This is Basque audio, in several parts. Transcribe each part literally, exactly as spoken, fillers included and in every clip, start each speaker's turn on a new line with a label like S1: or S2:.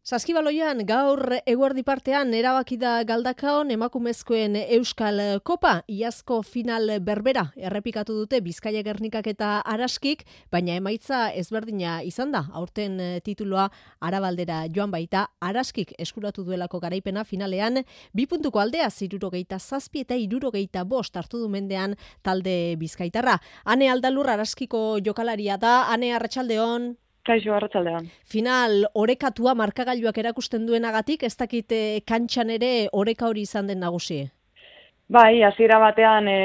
S1: Saskibaloian gaur eguerdi partean erabaki da Galdakaon emakumezkoen Euskal Kopa, iazko final berbera errepikatu dute Bizkaia Gernikak eta Araskik, baina emaitza ezberdina izan da. Aurten tituloa Arabaldera joan baita, Araskik eskuratu duelako garaipena finalean, bi puntuko aldea hirurogeita zazpi eta hirurogeita bost hartu du mendean talde bizkaitarra. Ane Aldalur Araskiko jokalaria da, Ane arratsaldeon.
S2: Kaixo, arratsaldean.
S1: Final orekatua markagailuak erakusten duenagatik, ez dakit kantxan ere oreka hori izan den nagusi?
S2: Bai, hasiera batean e,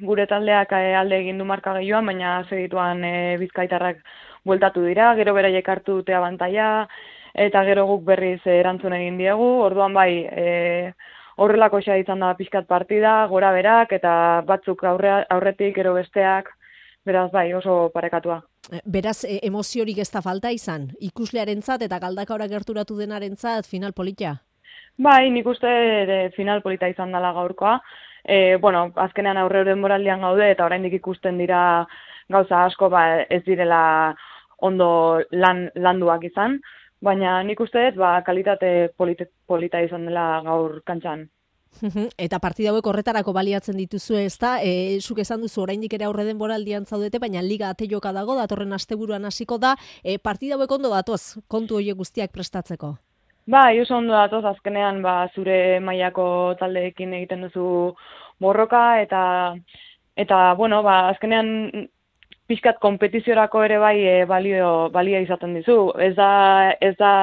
S2: gure taldeak e, alde egin du markagailuan, baina segituan e, bizkaitarrak bueltatu dira, gero beraiek hartu dute abantaila, eta gero guk berriz e, erantzun egin diegu, orduan bai, e, horrelako xa izan da pixkat partida, gora berak, eta batzuk aurre, aurretik, gero besteak, beraz bai, oso parekatua.
S1: Beraz, emoziorik ez da falta izan, ikuslearentzat eta Galdakaora gerturatu denarentzat final polita?
S2: Bai, nik uste de, final polita izan dela gaurkoa. E, bueno, azkenean aurre denboraldian gaude eta oraindik ikusten dira gauza asko ba, ez direla ondo lan, landuak izan, baina nik uste dut ba, kalitate polita, polita izan dela gaur kantxan.
S1: Eta partida hauek horretarako baliatzen dituzue, ezta? E, zuk esan duzu oraindik ere aurre denboraldian zaudete, baina liga ate joka dago, datorren asteburuan hasiko da. E, partida hauek ondo datoz, kontu horiek guztiak prestatzeko?
S2: Bai, oso ondo datoz, azkenean ba, zure mailako taldeekin egiten duzu borroka, eta, eta bueno, ba, azkenean pixkat kompetiziorako ere bai e, balio, balio izaten dizu. Ez da... Ez da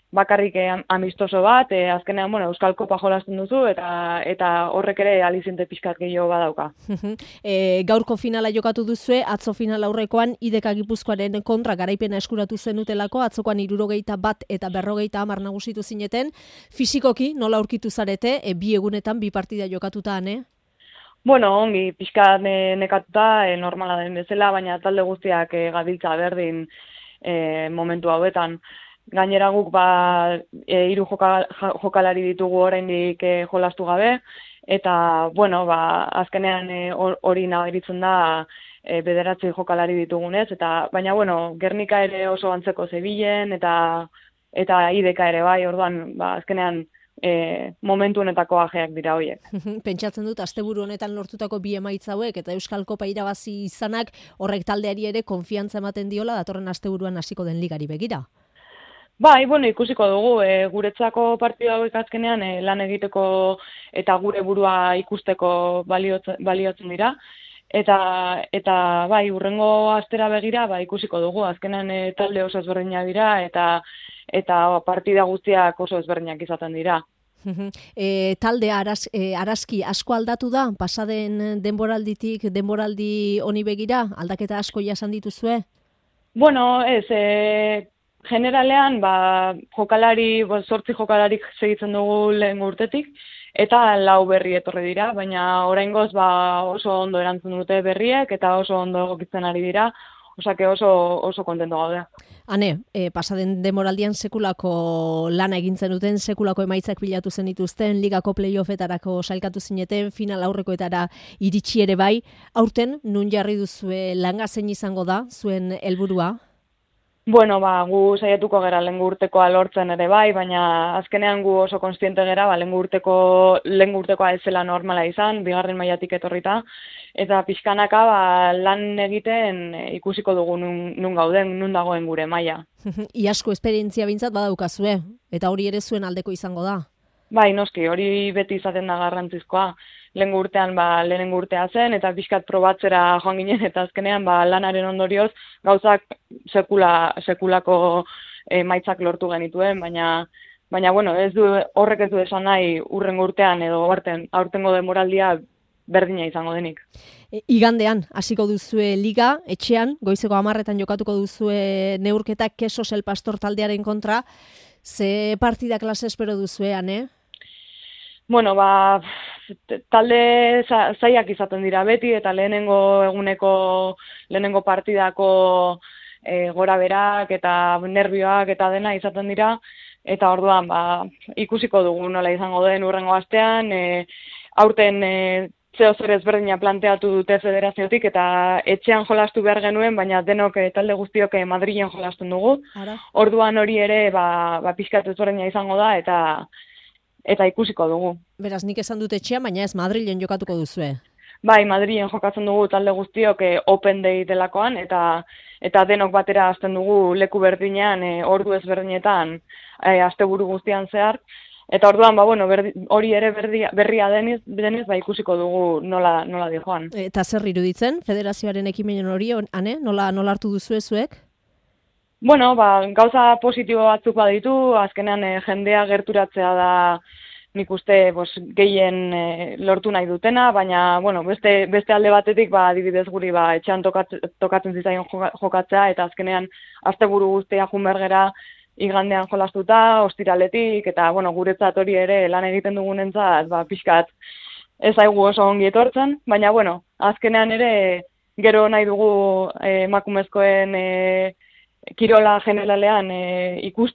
S2: bakarrik amistoso bat, e, azkenean, bueno, Euskal Kopa jolasten duzu, eta eta horrek ere alizinte pixkat gehiago badauka.
S1: e, gaurko finala jokatu duzue, atzo final aurrekoan, Ideka Gipuzkoaren kontra garaipena eskuratu zenutelako, atzokoan hirurogeita bat eta berrogeita hamar nagusitu zineten, fisikoki nola aurkitu zarete, e, bi egunetan, bi partida jokatuta, ane?
S2: Bueno, ongi, pixkat ne, nekatuta, e, normala den bezala, baina talde guztiak e, gabiltza berdin e, momentu hauetan. Gainera guk ba, e, hiru joka, jokalari ditugu oraindik e, jolastu gabe, eta bueno, ba, azkenean hori e, nabaritzen da e, bederatzi jokalari ditugunez, eta baina bueno, Gernika ere oso antzeko zebilen, eta eta Ideka ere bai, orduan ba, azkenean e, momentu honetako ajeak dira horiek.
S1: Pentsatzen dut, asteburu honetan lortutako bi emaitza hauek eta Euskal Kopa irabazi izanak horrek taldeari ere konfiantza ematen diola datorren asteburuan hasiko den ligari begira.
S2: Bai, bueno, ikusiko dugu, e, guretzako partida hauek azkenean e, lan egiteko eta gure burua ikusteko baliotzen, baliotzen dira. Eta, eta bai, urrengo astera begira ba, ikusiko dugu, azkenean e, talde oso ezberdinak dira eta, eta partida guztiak oso ezberdinak izaten dira.
S1: e, talde aras, e, Araski asko aldatu da, pasaden denboralditik denboraldi honi begira, aldaketa asko jasan dituzue?
S2: Bueno, ez... E, Generalean, ba, jokalari, zortzi jokalarik segitzen dugu lehen urtetik, eta lau berri etorri dira, baina oraingoz ba, oso ondo erantzun dute berriek, eta oso ondo egokitzen ari dira, osake oso, oso kontento gaude.
S1: Ane, e, pasaden demoraldian sekulako lana egintzen duten, sekulako emaitzak bilatu zen dituzten, ligako playoffetarako sailkatu zineten, final aurrekoetara iritsi ere bai, aurten nun jarri duzue langa zein izango da, zuen helburua?
S2: Bueno, ba, gu saiatuko gera lehengo urtekoa lortzen ere bai, baina azkenean gu oso konstiente gera, ba, lehengo urteko, lehengo urtekoa ez zela normala izan, bigarren mailatik etorrita, eta pixkanaka ba, lan egiten ikusiko dugu nun, nun gauden, nun dagoen gure maila.
S1: Iasko esperientzia bintzat badaukazue, eta hori ere zuen aldeko izango da?
S2: Bai, noski, hori beti izaten da garrantzizkoa. Lehengo urtean ba, lehenengo urtea zen, eta pixkat probatzera joan ginen, eta azkenean ba, lanaren ondorioz gauzak sekula, sekulako emaitzak lortu genituen, baina, baina bueno, ez du, horrek ez du esan nahi urrengo urtean edo aurten, aurtengo denboraldia berdina izango denik.
S1: E, igandean, hasiko duzue liga, etxean, goizeko hamarretan jokatuko duzue neurketak Keso El Pastor taldearen kontra, ze partida klase espero duzuean, eh?
S2: Bueno, ba, talde zaiak izaten dira beti, eta lehenengo eguneko, lehenengo partidako e, gora berak eta nervioak eta dena izaten dira, eta orduan ba, ikusiko dugu nola izango den urrengo astean, e, aurten e, zeo zer ezberdina planteatu dute federaziotik, eta etxean jolastu behar genuen, baina denok eh, talde guztiok eh, Madrilen jolasten dugu.
S1: Ara.
S2: Orduan hori ere ba, ba pixkat ezberdina izango da, eta eta ikusiko dugu.
S1: Beraz, nik esan dut etxean, baina ez Madrilen jokatuko duzue.
S2: Bai, Madrilen jokatzen dugu talde guztiok eh, Open Day delakoan, eta eta denok batera hasten dugu leku berdinean, eh, ordu ezberdinetan, eh, asteburu guztian zehar. Eta orduan, ba, bueno, berdi, hori ere berdia, berria deniz, deniz, ba, ikusiko dugu nola, nola di joan.
S1: Eta zer iruditzen, federazioaren ekimenen hori, ane, nola, nola hartu duzue zuek?
S2: Bueno, ba, gauza positibo batzuk baditu, azkenean eh, jendea gerturatzea da nik uste bos, gehien eh, lortu nahi dutena, baina bueno, beste, beste alde batetik ba, adibidez guri ba, etxean tokat, tokatzen zitzaion jokatzea, eta azkenean asteburu guztia junbergera igandean jolastuta, ostiraletik, eta bueno, guretzat hori ere lan egiten dugunentzat ba, pixkat ez zaigu oso ongi etortzen, baina bueno, azkenean ere gero nahi dugu eh, emakumezkoen eh, kirola generalean eh, ikus,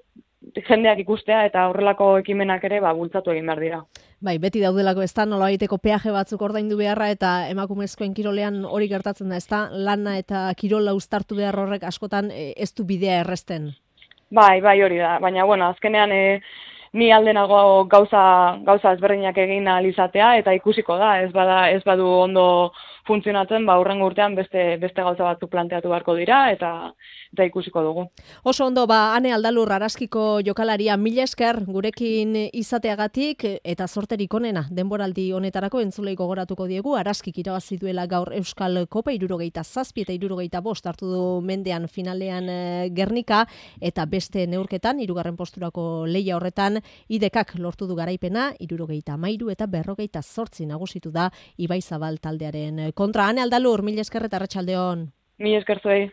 S2: jendeak ikustea, eta horrelako ekimenak ere ba, bultzatu egin behar dira.
S1: Bai, beti daudelako ez da, nola baiteko peaje batzuk ordaindu beharra, eta emakumezkoen kirolean hori gertatzen da, ez da, lana eta kirola uztartu behar horrek askotan eh, ez du bidea erresten.
S2: Bai, bai hori da, baina bueno, azkenean e, ni aldenago gauza, gauza ezberdinak egin ahal izatea, eta ikusiko da, ez bada, ez badu ondo funtzionatzen, ba hurrengo urtean beste beste gauza batzuk planteatu beharko dira, eta eta ikusiko dugu.
S1: Oso ondo, ba Ane Aldalur Araskiko jokalaria, mila esker gurekin izateagatik, eta zorterik onena denboraldi honetarako entzulei gogoratuko diegu. Araskik irabazi duela gaur Euskal Kopa hirurogeita zazpi eta hirurogeita bost hartu du mendean finalean Gernika, eta beste neurketan hirugarren posturako lehia horretan Idekak lortu du garaipena hirurogeita hamairu eta berrogeita zortzi nagusitu da Ibaizabal taldearen kontra. Ane Aldalur, mila esker eta arratsalde on.
S2: Mila esker zuei.